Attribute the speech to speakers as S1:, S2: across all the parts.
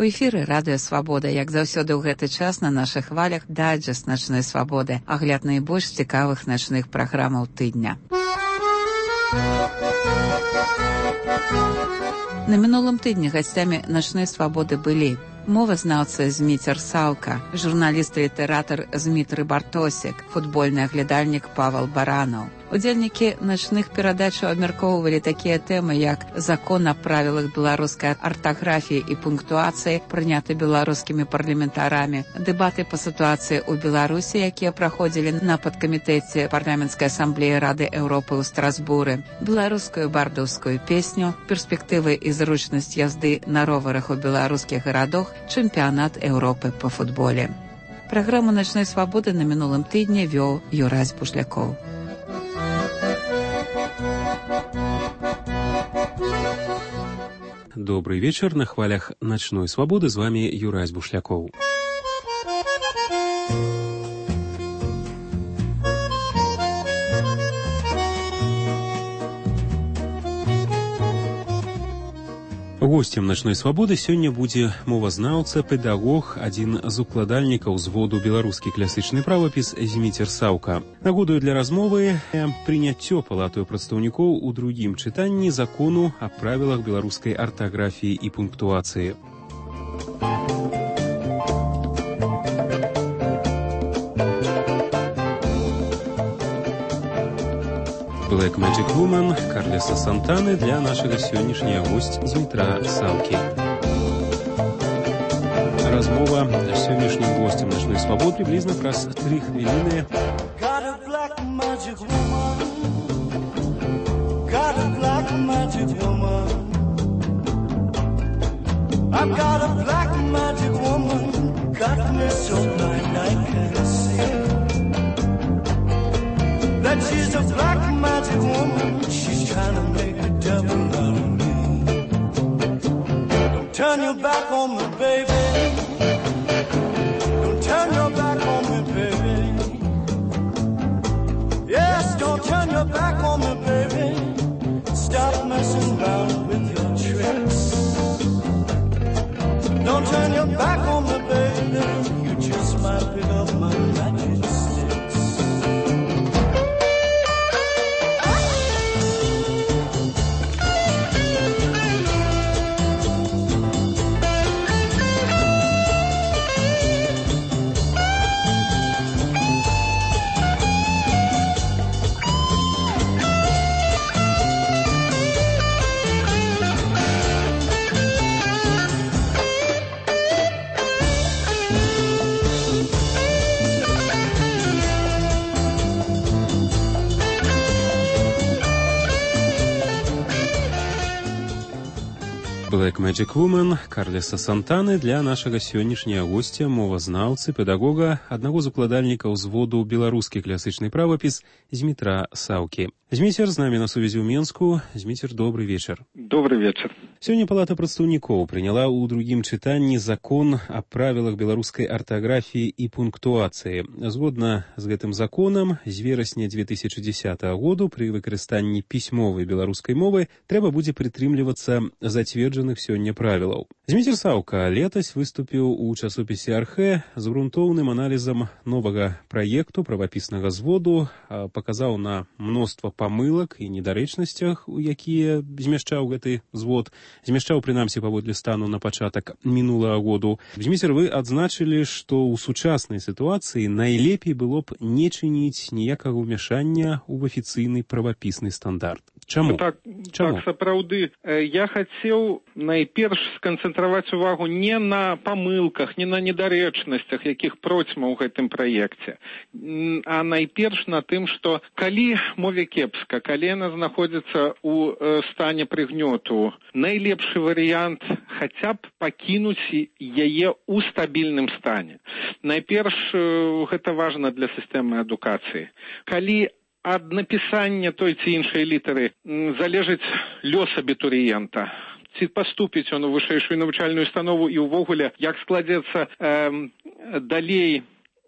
S1: эфіры радыё Свабода, як заўсёды ў гэты час на нашых хвалях дайджэст начной свабоды, агляд найбольш цікавых начных праграмаў тыдня. На мінулым тыдні гасцямі начной свабоды былі мовазнаўца Зміцер Саўка, журналіст і літаратар Змітры Бартосік, футбольны аглядальнік Павел Баранаў. Удзельнікі начных перадачаў абмяркоўвалі такія тэмы, як закон аб правілах беларускай артаграфіі і пунктуацыі, прыняты беларускімі парламентарамі, дэбаты па сітуацыі ў Беларусі, якія праходзілі на падкамітэце парламенцкай асамблеі Рады Еўропы ў Страсбуры, беларускую бардаўскую песню, перспектывы і зручнасць язды на роварах у беларускіх гарадах, чэмпіянат Еўропы па футболе. Праграму начной свабоды на мінулым тыдні вёў Юрась Бушлякоў.
S2: Добрый вечер. На хвалях ночной свободы с вами Юрась Бушляков. Гостем начной свабоды сёння будзе мовазнаўца, педагог, адзін з укладальнікаў зводу беларускі класічны правапіс Зміцер Саўка. Нагодаю для размовы прыняццё палатаю прадстаўнікоў у другім чытанні закону аб правілах беларускай артаграфіі і пунктуацыі. Black Magic Woman Карлеса Сантаны для нашага сённяшняга госця Змітра Саўкі. Размова з сённяшнім гостем начной свабоды приблизно праз 3 хвіліны. Got a black magic woman. Got a black magic woman. I've got a black magic woman. Got me so blind I can't see. That she's a black magic woman. She's trying to make a devil out of me. Don't turn your back on me, baby. Don't turn your back on me, baby. Yes, don't turn your back on me, baby. Stop messing around with your tricks. Don't turn your back on me, baby. You just might pick up my magic sticks. Black Magic Woman Карлеса Сантаны для нашага сённяшняга госця, мовазнаўцы, педагога, аднаго з укладальнікаў зводу беларускі класічны правапіс Змітра Саўкі. Зміцер з намі на сувязі ў Менску. Зміцер, добрый вечар.
S3: Добрый вечар.
S2: Сёння палата прадстаўнікоў прыняла ў другім чытанні закон аб правілах беларускай артаграфіі і пунктуацыі. Згодна з гэтым законам, з верасня 2010 году пры выкарыстанні пісьмовай беларускай мовы трэба будзе прытрымлівацца зацверджаных сёння правілаў. Зміцер Саўка летась выступіў у часопісе «Архэ» з грунтоўным аналізам новага праекту правапіснага зводу, паказаў на мноства памылак і недарэчнасцях, у якія змяшчаў гэты звод, змяшчаў прынамсі паводле стану на пачатак мінулага году. Зміцер, вы адзначылі, што ў сучаснай сітуацыі найлепей было б не чыніць ніякага ўмяшання ў афіцыйны правапісны стандарт. Чаму?
S3: Так, сапраўды. Я хацеў найперш сканцэнтраваць увагу не на памылках, не на недарэчнасцях, якіх процьма ў гэтым праекце, а найперш на тым, што калі мове кепска, калі яна знаходзіцца ў стане прыгнёту, найлепшы варыянт хаця б пакінуць яе ў стабільным стане. Найперш гэта важна для сістэмы адукацыі. Калі ад напісання той ці іншай літары залежыць лёс абітурыента, ці паступіць он у вышэйшую навучальную установу і ўвогуле, як складзецца далей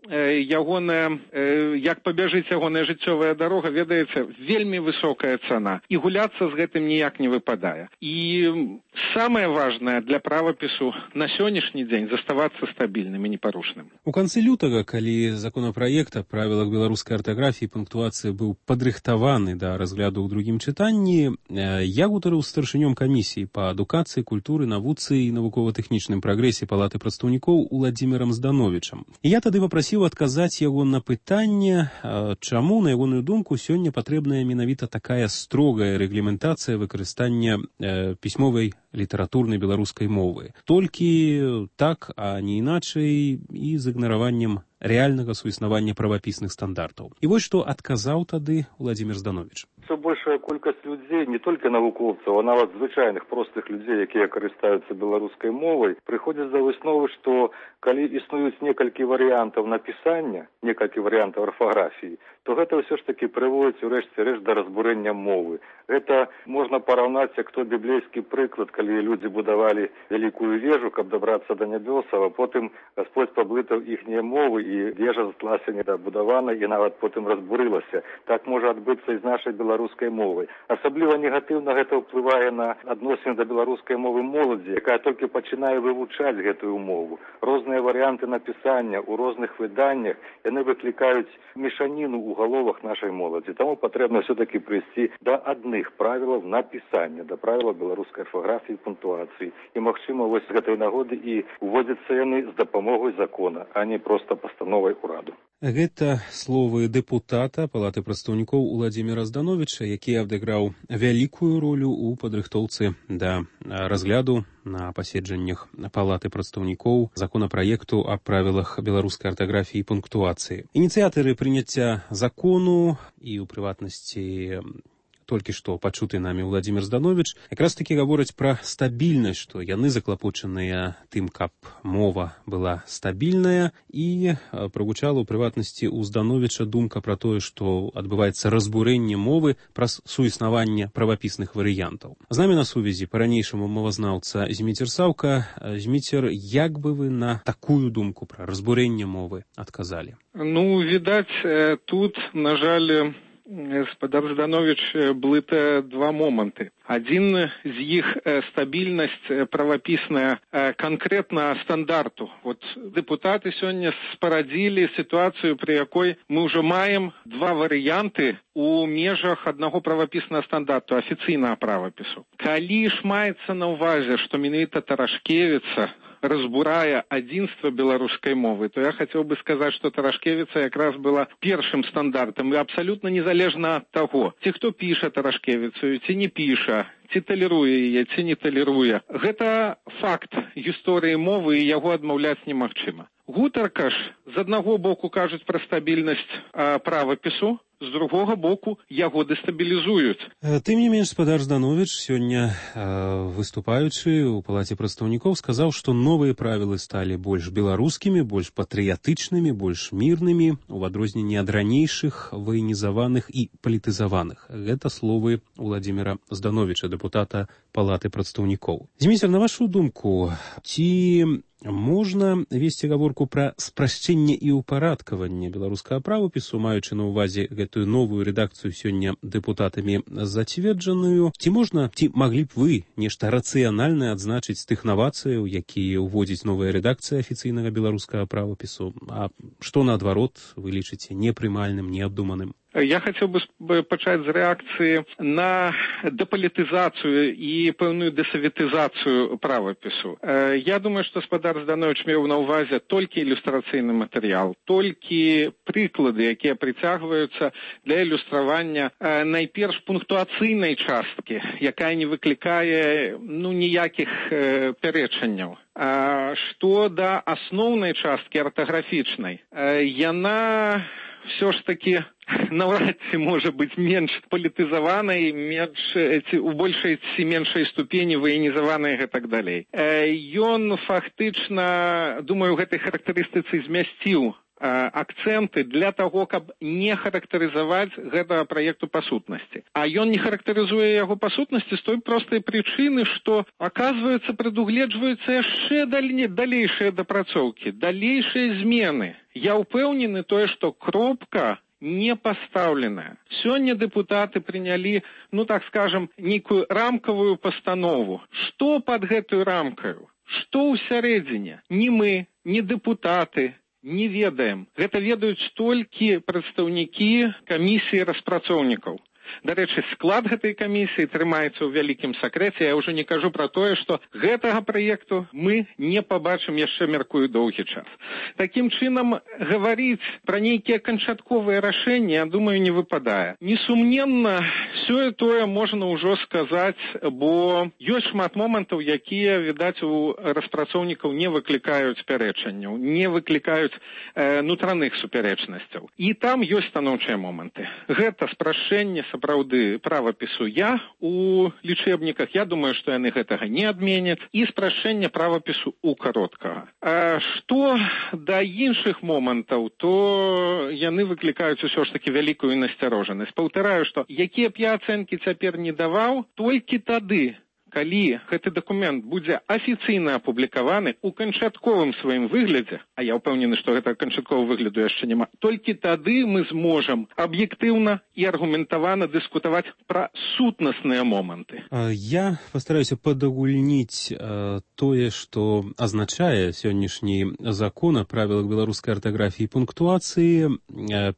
S3: як пабяжыць ягоная жыццёвая дарога, ведаеце, вельмі высокая цана. І гуляцца з гэтым ніяк не выпадае. І самае важнае для правапісу на сённяшні дзень заставацца стабільным і непарушным.
S2: У канцы лютага, калі законапраект аб правілах беларускай артаграфіі і пунктуацыі быў падрыхтаваны да разгляду ў другім чытанні, я гутарыў з старшынём камісіі па адукацыі, культуры, навуцы і навукова-тэхнічным прагрэсе Палаты прадстаўнікоў Уладзімірам Здановічам. І я тады папрасіў адказаць яго на пытанне, чаму, на ягоную думку, сёння патрэбная менавіта такая строгая рэгламентацыя выкарыстання пісьмовай літаратурнай беларускай мовы. Толькі так, а не іначай, і з ігнараваннем рэальнага суіснавання правапісных стандартаў. І вось што адказаў тады Уладзімір Здановіч.
S4: Все большая колькасць людзей, не толькі навукоўцаў, а нават звычайных простых людзей, якія карыстаюцца беларускай мовай, прыходзяць да высновы, што калі існуюць некалькі варыянтаў напісання, некалькі варыянтаў арфаграфіі, то гэта ўсё ж такі прыводзіць у рэшце рэшт да разбурэння мовы. Гэта можна параўнаць як той біблейскі прыклад, калі людзі будавалі вялікую вежу, каб дабрацца да нябёсаў, а потым Гасподзь паблытаў іхнія мовы, і вежа засталася недабудавана і нават потым разбурылася. Так можа адбыцца і з нашай беларускай мовай. Асабліва негатыўна гэта ўплывае на адносіны да беларускай мовы моладзі, якая толькі пачынае вывучаць гэтую мову. Розныя варыянты напісання ў розных выданнях, яны выклікаюць мешаніну ў галовах нашай моладзі. Таму патрэбна все-таки прыйсці да адных правілаў напісання, да правіла беларускай арфаграфіі і пунктуацыі. І, магчыма, вось з гэтай нагоды і уводзяцца яны з дапамогай закона, а не проста пастановай ураду.
S2: Гэта словы дэпутата Палаты прадстаўнікоў Уладзіміра Здановіча, які адыграў вялікую ролю ў падрыхтоўцы да разгляду на паседжаннях Палаты прадстаўнікоў законапраекту аб правілах беларускай артаграфіі і пунктуацыі. Ініцыятары прыняцця закону і, у прыватнасці, толькі што пачуты намі Уладзімір Здановіч, якраз такі гавораць пра стабільнасць, што яны заклапочаныя тым, каб мова была стабільная, і прагучала ў прыватнасці ў Здановіча думка пра тое, што адбываецца разбурэнне мовы праз суіснаванне правапісных варыянтаў. З намі на сувязі па-ранейшаму мовазнаўца Зміцер Саўка. Зміцер, як бы вы на такую думку пра разбурэнне мовы адказалі?
S3: Ну, відаць, тут, на жаль, гаспадар Здановіч блыта два моманты. Адзін з іх стабільнасць правапісная канкрэтна стандарту. Вот дэпутаты сёння спарадзілі сітуацыю, пры якой мы ўжо маем два варыянты у межах аднаго правапіснага стандарту, афіцыйнага правапісу. Калі ж маецца на ўвазе, што менавіта Тарашкевіца разбурае адзінства беларускай мовы, то я хацеў бы сказаць, што Тарашкевіца якраз была першым стандартам, і абсалютна незалежна ад таго, ці хто піша Тарашкевіцу, ці не піша, ці талеруе яе, ці не талеруе. Гэта факт гісторыі мовы, і яго адмаўляць немагчыма. Гутарка ж з аднаго боку кажуць пра стабільнасць правапісу, з другога боку яго дэстабілізуюць.
S2: Тым не менш, гаспадар Здановіч сёння, выступаючы ў Палаце прадстаўнікоў, сказаў, што новыя правілы сталі больш беларускімі, больш патрыятычнымі, больш мірнымі, у адрозненні ад ранейшых ваенізаваных і палітызаваных. Гэта словы Уладзіміра Здановіча, дэпутата Палаты прадстаўнікоў. Зміцер, на вашу думку, ці можна весці гаворку пра спрашчэнне і ўпарадкаванне беларускага правапісу, маючы на ўвазе гэтую новую рэдакцыю сёння дэпутатамі зацверджаную? Ці можна, ці маглі б вы нешта рацыянальнае адзначыць з тых навацыяў, якія ўводзіць новая рэдакцыя афіцыйнага беларускага правапісу? А што, наадварот, вы лічыце непрымальным, неабдуманым?
S3: Я хацеў бы пачаць з рэакцыі на дэпалітызацыю і пэўную дэсаветызацыю правапісу. Я думаю, што гаспадар Здановіч меў на ўвазе толькі ілюстрацыйны матэрыял, толькі прыклады, якія прыцягваюцца для ілюстравання найперш пунктуацыйнай часткі, якая не выклікае ніякіх пярэчанняў. Што да асноўнай часткі артаграфічнай, яна все ж таки навряд ці можа быць менш палітызаванай, у большай ці меншай ступені ваенізаванай і гэтак далей. Ён фактычна, думаю, у гэтай характарыстыцы змясціў акцэнты для таго, каб не характарызаваць гэтага праекту па сутнасці. А ён не характарызуе яго па сутнасці з той простай прычыны, што, аказваецца, прадугледжваюцца яшчэ далейшыя дапрацоўкі, далейшыя змены. Я ўпэўнены тое, што кропка не пастаўленая. Сёння дэпутаты прынялі, так скажам, нейкую рамкавую пастанову. Што пад гэтую рамкаю? Што ўсярэдзіне? Ні мы, ні дэпутаты не ведаем. Гэта ведаюць толькі прадстаўнікі камісіі распрацоўнікаў. Дарэчы, склад гэтай камісіі трымаецца ў вялікім сакрэце. Я ўжо не кажу пра тое, што гэтага праекту мы не пабачым яшчэ, мяркую, доўгі час. Такім чынам, гаварыць пра нейкія канчатковыя рашэнні, я думаю, не выпадае. Несумненна, сёе-тое можна ўжо сказаць, бо ёсць шмат момантаў, якія, відаць, у распрацоўнікаў не выклікаюць пярэчанняў, не выклікаюць нутраных супярэчнасцяў. І там ёсць станоўчыя моманты. Гэта спрашчэнне сапраўды правапісу у лічэбніках. Я думаю, што яны гэтага не адменяць. І спрашчэнне правапісу у кароткага. Што да іншых момантаў, то яны выклікаюць усё ж такі вялікую насцярожанасць. Паўтараю, што якія б я ацэнкі цяпер не даваў, толькі тады, калі гэты дакумент будзе афіцыйна апублікаваны ў канчатковым сваім выглядзе, а я ўпэўнены, што гэта канчатковага выгляду яшчэ няма, толькі тады мы зможам аб'ектыўна і аргументавана дыскутаваць пра сутнасныя моманты.
S2: Я пастараюся падагульніць тое, што азначае сённяшні закон о правілах беларускай артаграфіі і пунктуацыі.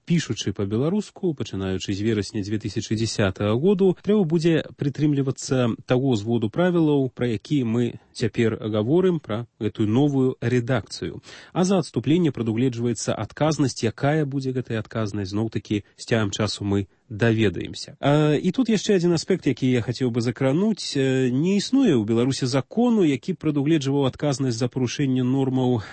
S2: Пішучы па-беларуску, пачынаючы з верасня 2010 году, трэба будзе прытрымлівацца таго зводу правілаў, пра які мы цяпер гаворым, пра гэтую новую рэдакцыю. А за адступленне прадугледжваецца адказнасць. Якая будзе гэтая адказнасць, зноў-такі з цягам часу мы даведаемся. І тут яшчэ адзін аспект, які я хацеў бы закрануць. Не існуе ў Беларусі закону, які прадугледжваў адказнасць за парушэнне нормаў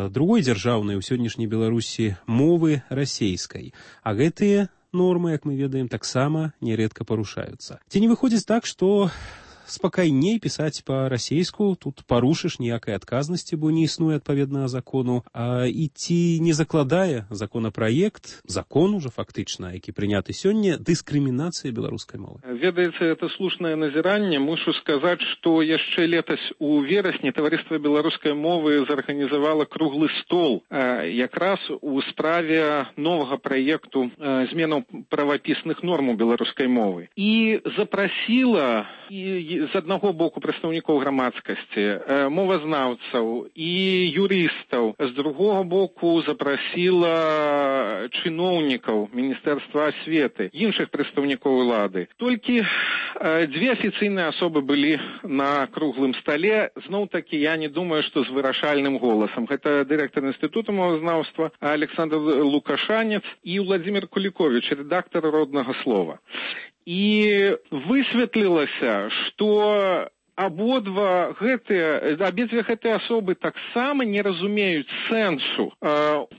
S2: другой дзяржаўнай у сённяшняй Беларусі мовы расейскай. А гэтыя нормы, як мы ведаем, таксама нярэдка парушаюцца. Ці не выходзіць так, што спакайней пісаць па-расейску, тут парушыш ніякай адказнасці, бо не існуе адпаведнага закону, і ці не закладае законапраект, закон ужо фактычна, які прыняты сёння, дыскрымінацыі беларускай мовы?
S3: Ведаеце, это слушнае назіранне. Мушу сказаць, што яшчэ летась у верасні таварыства беларускай мовы зарганізавала круглы стол якраз у справе новага праекту зменаў правапісных норм у беларускай мовы. І запрасіла з аднаго боку прадстаўнікоў грамадскасці, мовазнаўцаў і юрыстаў, з другога боку запрасіла чыноўнікаў Міністэрства асветы, іншых прадстаўнікоў улады. Толькі дзве афіцыйныя асобы былі на круглым стале. Зноў-такі я не думаю, што з вырашальным голасам. Гэта дырэктар інстытута мовазнаўства Александр Лукашанец і Владзімир Куліковіч, рэдактар роднага слова. І высветлілася, што абедзве гэтыя асобы таксама не разумеюць сэнсу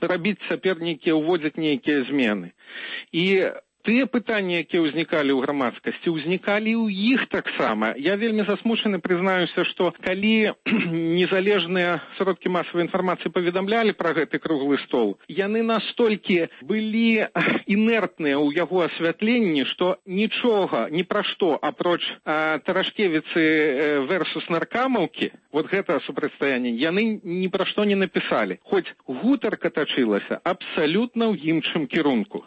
S3: рабіць цяпер уводзіць нейкія змены. І тыя пытанні, якія ўзнікалі ў грамадскасці, ўзнікалі ў іх таксама. Я вельмі засмучаны, прызнаюся, што калі незалежныя сродкі масавай інфармацыі паведамлялі пра гэты круглы стол, яны настолькі былі інертныя ў яго асвятленні, што нічога, ні пра што, апроч Тарашкевіцы версус наркамаўкі, вот гэта супрацьстаянне, яны ні пра што не напісалі. Хоць гутарка тачылася абсалютна ў іншым кірунку.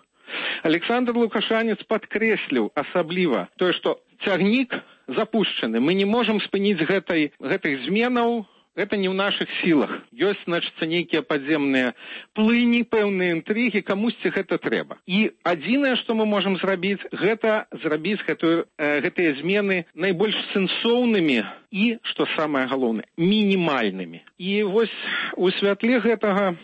S3: Александр Лукашанец падкрэсліў асабліва тое, што цягнік запушчаны. Мы не можам спыніць гэтых зменаў, гэта не ў нашых сілах. Ёсць, значыцца, нейкія падземныя плыні, пэўныя інтрыгі, камусьці гэта трэба. І адзінае, што мы можам зрабіць, гэта зрабіць гэтыя змены найбольш сэнсоўнымі і, што самае галоўнае, мінімальнымі. І вось у святле гэтага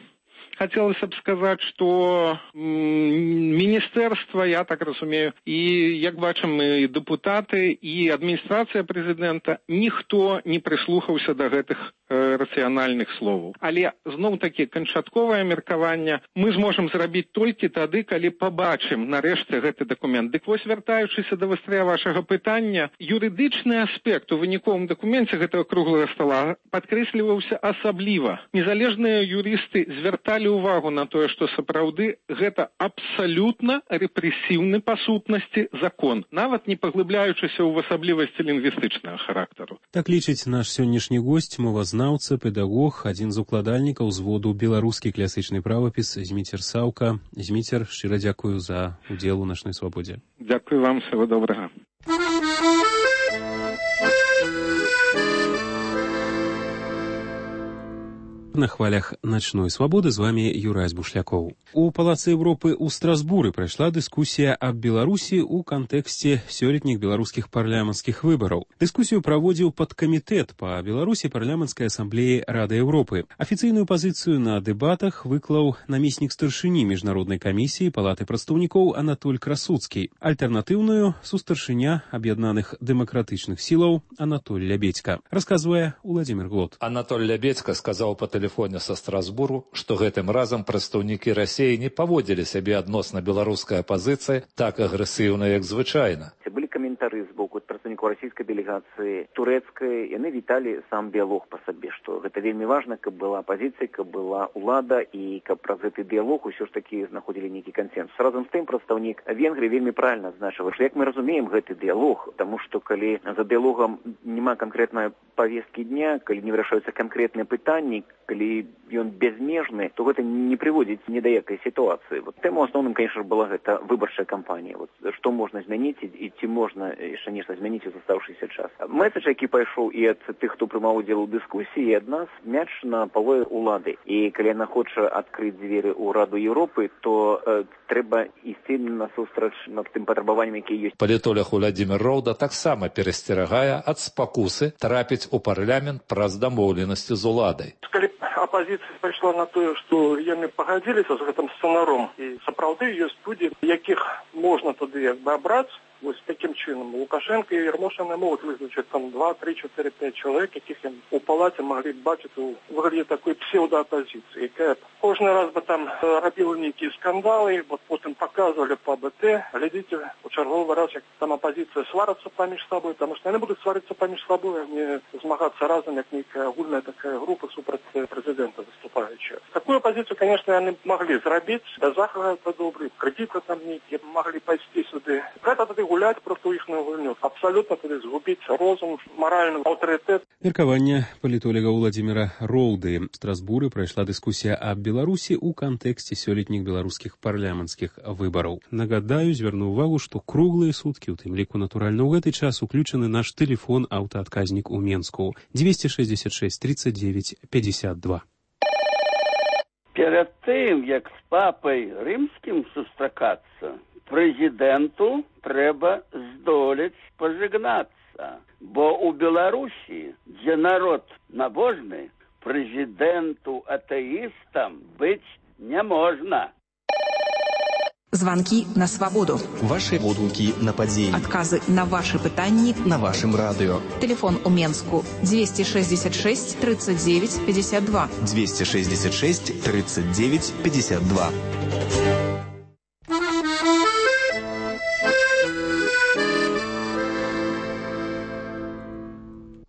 S3: хацелася б сказаць, што міністэрства, я так разумею, і, як бачым, і дэпутаты, і адміністрацыя прэзідэнта, ніхто не прыслухаўся да гэтых рацыянальных словаў. Але, зноў-такі, канчатковае меркаванне мы зможам зрабіць толькі тады, калі пабачым нарэшце гэты дакумент. Дык вось, вяртаючыся да вастрыя вашага пытання, юрыдычны аспект у выніковым дакуменце гэтага круглага стола падкрэсліваўся асабліва. Незалежныя юрысты звярталі звярталі ўвагу на тое, што сапраўды гэта абсалютна рэпрэсіўны па сутнасці закон, нават не паглыбляючыся ў асаблівасці лінгвістычнага характару.
S2: Так лічыць наш сённяшні госць, мовазнаўца, педагог, адзін з укладальнікаў зводу беларускі класічны правапіс Зміцер Саўка. Зміцер, шчыра дзякую за удзел у начной свабодзе.
S3: Дзякую вам, всего добрага.
S2: На хвалях начной свабоды з вами Юрась Бушлякоў. У Палацы Европы ў Страсбуры прайшла дыскусія аб Беларусі ў кантэксце сёлетніх беларускіх парламенцкіх выбараў. Дыскусію праводзіў падкамітэт па Беларусі парламенцкай асамблеі Рады Европы. Афіцыйную пазіцыю на дэбатах выклаў намеснік старшыні міжнароднай камісіі Палаты прадстаўнікоў Анатоль Красуцкі. Альтэрнатыўную сустаршыня аб'яднаных дэмакратычных сілаў Анатоль Лябедзька. Расказвае Уладзімір Глот.
S5: Анатоль Лябедзька сказаў па тэлефоне са Страсбуру, што гэтым разам прадстаўнікі Расіі не паводзілі сябе адносна беларускай апазіцыі так агрэсіўна, як звычайна.
S6: Былі каментары з боку прадстаўнікоў расійскай дэлегацыі, турэцкай, яны віталі сам дыялог па сабе, што гэта вельмі важна, каб была апазіцыя, каб была ўлада і каб праз гэты дыялог усё ж такі знаходзілі нейкі кансенсус. Разам з тым прадстаўнік Венгрыі вельмі правільна адзначыў, што як мы разумеем гэты дыялог, таму што калі за дыялогам няма канкрэтнай павесткі дня, калі не вырашаюцца канкрэтныя пытанні, калі ён безмежны, то гэта не прыводзіць ні да якай сітуацыі. Вот тэму асноўным, конечно, была гэта выбарчая кампанія. Вот што можна змяніць і ці можна яшчэ нешта змяніць у застаўшыся час. Месседж, які пайшоў і ад тых, хто прымаў удзел у дыскусіі, і ад нас мяч на пале ўлады. І калі яна хоча адкрыць дзверы ў Раду Еўропы, то трэба ісці насустрач над тым патрабаваннем, якія ёсць.
S5: Палітолог Уладзімір Роўда таксама перасцерагае ад спакусы трапіць у парламент праз дамоўленасці з уладай.
S7: Калі апазіцыя пайшла на тое, што яны пагадзіліся з гэтым сцэнаром, і сапраўды ёсць людзі, якіх можна тады як бы абраць, вось таким чынам. Лукашенко і Ярмошина могуць вызначыць там 2, 3, 4, 5 чалавек, якіх яны у палаце маглі бачыць у выглядзе такой псеўдаапазіцыі, якая кожны раз бы там рабіла нейкія скандалы, вот потым паказвалі па БТ. Глядзіце, у чарговы раз, як там апазіцыя сварацца паміж сабой, таму што яны будуць сварыцца паміж сабой, а не змагацца разам, як нейкая агульная такая група супраць прэзідэнта выступаючая. Такую апазіцыю, конечно, яны маглі зрабіць, да захага добрый, крэдіты там нейкія маглі пайсці сюды. Гэта тады гуляць проти іхную гульню. Абсолютно тады згубіць розум, маральны аўтарытэт.
S2: Меркаванне палітолага Уладзіміра Роўды. В Страсбуры прайшла дыскусія аб Беларусі ў кантэксце сёлетніх беларускіх парламенцкіх выбараў. Нагадаю, звярну ўвагу, што круглыя суткі, у тым ліку, натуральна, ў гэты час уключаны наш тэлефон аўтаадказнік у Менску 266 39 52.
S8: Перед тым, як з папай рымскім сустракацца, прэзідэнту трэба здолець пажыгнацца, бо ў Беларусі, дзе народ набожны, прэзідэнту атэістам быць не можна.
S9: Звонки на свободу.
S10: Ваши водгуки на падзеі.
S9: Адказы на ваши пытанні
S10: на вашым радыё.
S9: Телефон у Менску 266 39 52.
S10: 266 39 52.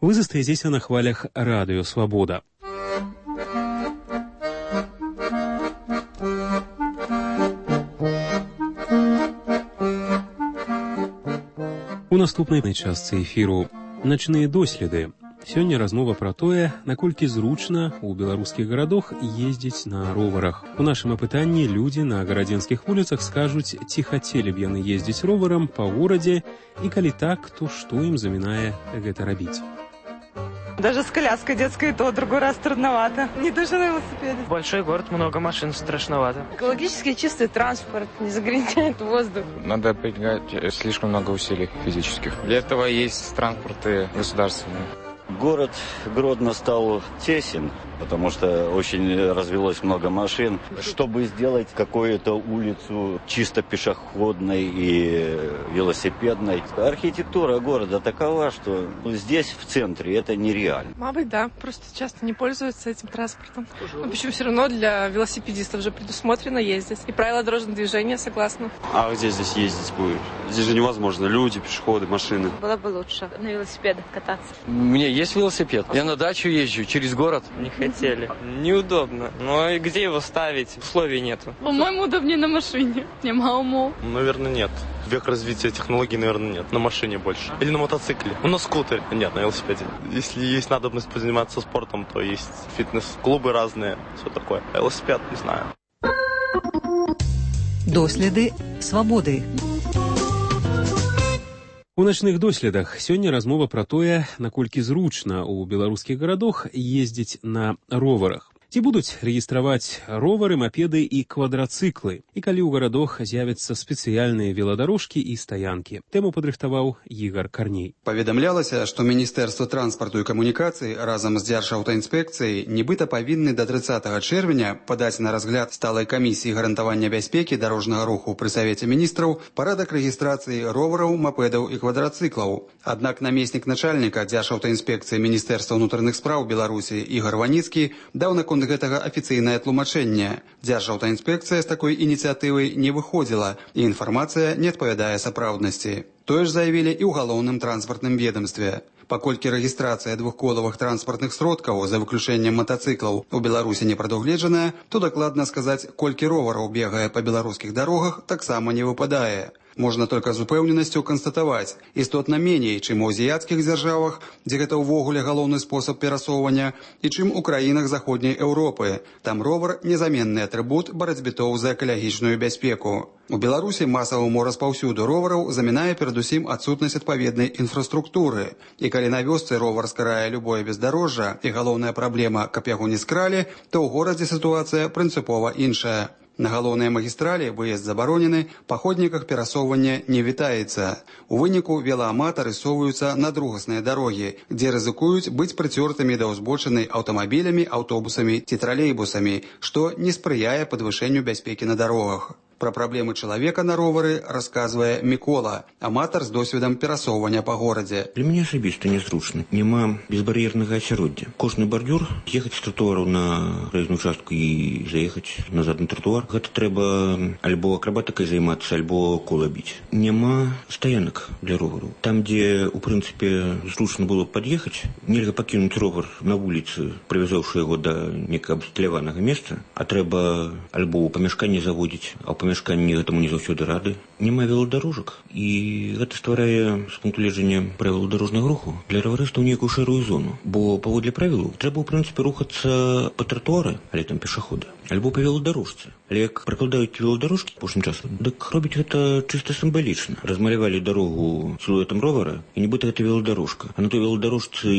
S2: Вы застаетесь на хвалях радио «Свобода». У наступнай частцы эфіру «Начныя доследы». Сёння размова пра тое, наколькі зручна ў беларускіх гарадах ездзіць на роварах. У нашым апытанні людзі на гарадзенскіх вуліцах скажуць, ці хацелі б яны ездзіць роварам па горадзе, і калі так, то што ім замінае гэта рабіць.
S11: Даже с коляской детской то другой раз трудновато. Не то, что на велосипеде.
S12: Большой город, много машин, страшновато.
S11: Экологически чистый транспорт, не загрязняет воздух.
S13: Надо прилагать слишком много усилий физических. Для этого есть транспорты государственные.
S14: Город Гродно стал тесен, потому что очень развелось много машин. Чтобы сделать какую-то улицу чисто пешеходной и велосипедной, архитектура города такова, что здесь, в центре, это нереально.
S15: Мабуть, да. Просто часто не пользуются этим транспортом. Но почему все равно для велосипедистов же предусмотрено ездить. И правила дорожного движения, согласна.
S16: А где здесь ездить будет? Здесь же невозможно. Люди, пешеходы, машины.
S17: Было бы лучше на велосипедах кататься.
S18: Мне
S12: Есть велосипед. Я на дачу езжу через город. Не хотели. Неудобно. Но где его ставить? Условий нету.
S15: По-моему, удобнее на машине. Нема умов.
S16: Наверное, нет. Век развития технологий, наверное, нет. На машине больше. Или на мотоцикле. На скутере. Нет, на велосипеде. Если есть надобность позаниматься спортом, то есть фитнес-клубы разные. Все такое. А велосипед, не знаю.
S9: Доследы свабоды.
S2: У начных доследах сёння размова пра тое, наколькі зручна ў беларускіх гарадах ездзіць на роварах. Ці будуць рэгістраваць ровары, мапеды і квадрацыклы, і калі ў гарадах з'явяцца спецыяльныя веладарожкі і стаянкі. Тэму падрыхтаваў Ігар Карней.
S17: Паведамлялася, што Міністэрства транспарту і камунікацый разам з Дзяржаўтаінспекцыяй нібыта павінны да 30 чэрвеня падаць на разгляд сталай камісіі гарантавання бяспекі дарожнага руху пры Савеце міністраў парадак рэгістрацыі ровараў, мапедаў і квадрацыклаў. Аднак намеснік начальніка Дзяржаўтаінспекцыі Міністэрства ўнутраных спраў Беларусі Ігар Ваніцкі даў наконт гэтага афіцыйнае тлумачэнне. Дзяржаўтаінспекцыя з такой ініцыятывай не выходзіла, і інфармацыя не адпавядае сапраўднасці. Тое ж заявілі і ў галоўным транспартным ведомстве. Паколькі рэгістрацыя двухколавых транспартных сродкаў, за выключэннем матацыклаў, у Беларусі не прадугледжаная, то дакладна сказаць, колькі ровараў бегае па беларускіх дарогах, таксама не выпадае. Можна толькі з упэўненасцю канстатаваць, істотна меней, чым у азіяцкіх дзяржавах, дзе гэта ўвогуле галоўны спосаб перасоўвання, і чым у краінах заходняй Еўропы. Там ровар – незаменны атрыбут барацьбітоў за экалагічную бяспеку. У Беларусі масаваму распаўсюду ровараў замінае перадусім адсутнасць адпаведнай інфраструктуры. І калі на вёсцы ровар скарае любое бездарожжа і галоўная праблема, каб яго не скралі, то ў горадзе сітуацыя прынцыпова іншая. На галоўнай магістралі выезд забаронены, па ходніках перасоўвання не вітаецца. У выніку велааматары соваюцца на другасныя дарогі, дзе рызыкуюць быць прыцёртымі да ўзбочыны аўтамабілямі, аўтобусамі ці тралейбусамі, што не спрыяе падвышэнню бяспекі на дарогах. Пра праблемы чалавека на ровары расказвае Мікола, аматар з досведам перасоўвання па горадзе.
S18: Для мяне асабіста незручна. Няма безбар'ернага асяроддзя. Кожны бардюр, з'ехаць з тратуару на праезную частку і заехаць назад на тратуар, гэта трэба альбо акрабатыкай займацца, альбо кола біць. Няма стаянак для ровару. Там, дзе, у прынцыпе, зручна было пад'ехаць, нельга пакінуць ровар на вуліцы, прывязаўшы яго да некага абсталяванага месца, а трэба альбо ў памяшканні заводзіць, а ў памяшканні гэтаму не заўсёды рады. Няма веладарожак, і гэта стварае з пункту гледжання правілаў дарожнага руху для раварыстаў некую шэрую зону. Бо паводле правілаў трэба ў прынцыпе рухацца па тратуары, але там пешахода, альбо па веладарожцы. Але як пракладаюць веладарожкі апошнім часам, дык робіць гэта чыста сімвалічна. Размалявалі дарогу сілуэтам ровара, і нібыта гэта веладарожка. А на той веладарожцы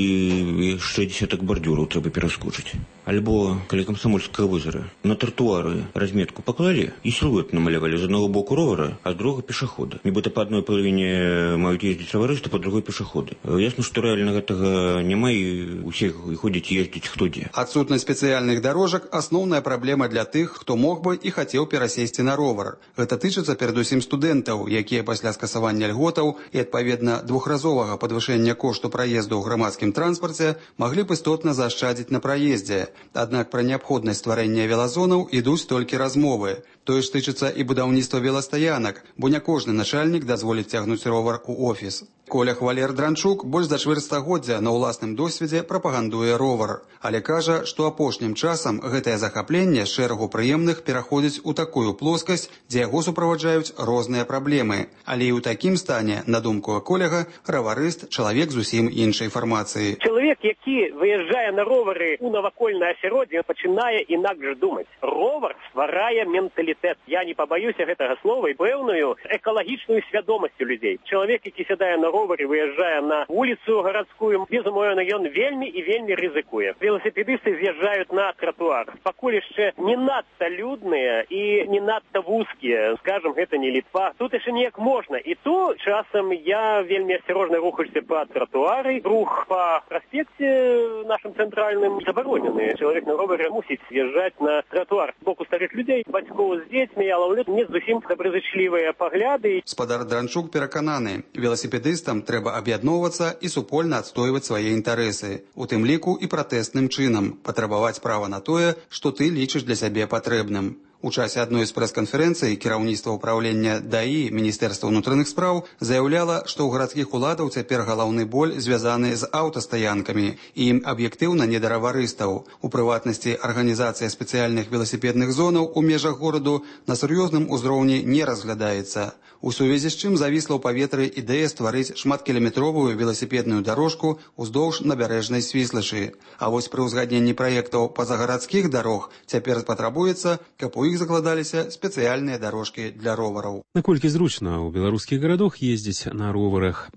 S18: яшчэ дзесятак бардюраў трэба пераскочыць. Альбо, каля Камсамольскага возера, на тратуары разметку паклалі і сілуэт намалявалі з аднаго боку ровара, а з другога пешахода. Нібыта па адной палавіне маюць ездзіць раварысты, па другой пешаходы. Ясна, што рэальна гэтага няма, і усе ходзяць ездзіць хто дзе.
S17: Адсутнасць спецыяльных дарожак – асноўная праблема для тых, хто мог бы і хацеў перасесці на ровар. Гэта тычыцца перадусім студэнтаў, якія пасля скасавання льготаў і, адпаведна, двухразовага падвышэння кошту праезду ў грамадскім транспарце маглі б істотна заашчадзіць на праездзе. Аднак пра неабходнасць стварэння велазонаў ідуць толькі размовы. Тое ж тычыцца і будаўніцтва веластаянак, бо не кожны начальнік дазволіць цягнуць ровар у офіс. Коля Хвалер-Дранчук больш за чвэрць стагоддзя на ўласным досведзе прапагандуе ровар, але кажа, што апошнім часам гэтае захапленне з шэрагу прыемных пераходзіць у такую плоскасць, дзе яго суправаджаюць розныя праблемы. Але і ў такім стане, на думку Коляга, раварыст – чалавек зусім іншай фармацыі.
S19: Чалавек, які выязджае на ровары у навакольнае асяроддзе, пачынае інакш думаць. Ровар стварае менталітэт. Я не пабаюся гэтага слова, і пэўную экалагічную свядомасць у людзей. Чалавек, які сядае на ровары, выязджае на вуліцу гарадскую, безумоўна, ён вельмі і вельмі рызыкуе. Велосипедысты з'язджаюць на тратуар. Пакуль яшчэ не надта людныя і не надта вузкія, скажам, гэта не Літва. Тут яшчэ неяк можна. І то часам я вельмі асцярожна рухаюся па тратуары. Рух па праспекце нашым цэнтральным забаронены. Чалавек на ровары мусіць з'язджаць на тратуар. З боку старых людзей, бацькоў з дзецьмі, я лаўлю не зусім добразычлівыя пагляды.
S17: Спадар Дранчук перакананы, веласіпедыстам трэба аб'ядноўвацца і супольна адстойваць свае інтарэсы, у тым ліку і пратэсным чынам, патрабаваць права на тое, што ты лічыш для сябе патрэбным. У часе адной з прэс-канферэнцый кіраўніцтва ўпраўлення ДАІ Міністэрства ўнутраных спраў заяўляла, што ў гарадскіх уладаў цяпер галаўны боль звязаны з аўтастаянкамі і ім аб'ектыўна не да раварыстаў. У прыватнасці, арганізацыя спецыяльных веласіпедных зонаў у межах гораду на сур'ёзным узроўні не разглядаецца. У сувязі з чым завісла ў паветры ідэя стварыць шматкіламетровую веласіпедную дарожку ўздоўж набярэжнай Свіслачы. А вось пры ўзгадненні праектаў пазагарадскіх дарог цяпер патрабуецца, каб у іх закладаліся спецыяльныя дарожкі для ровараў.
S2: Наколькі зручна ў беларускіх гарадах ездзіць на роварах?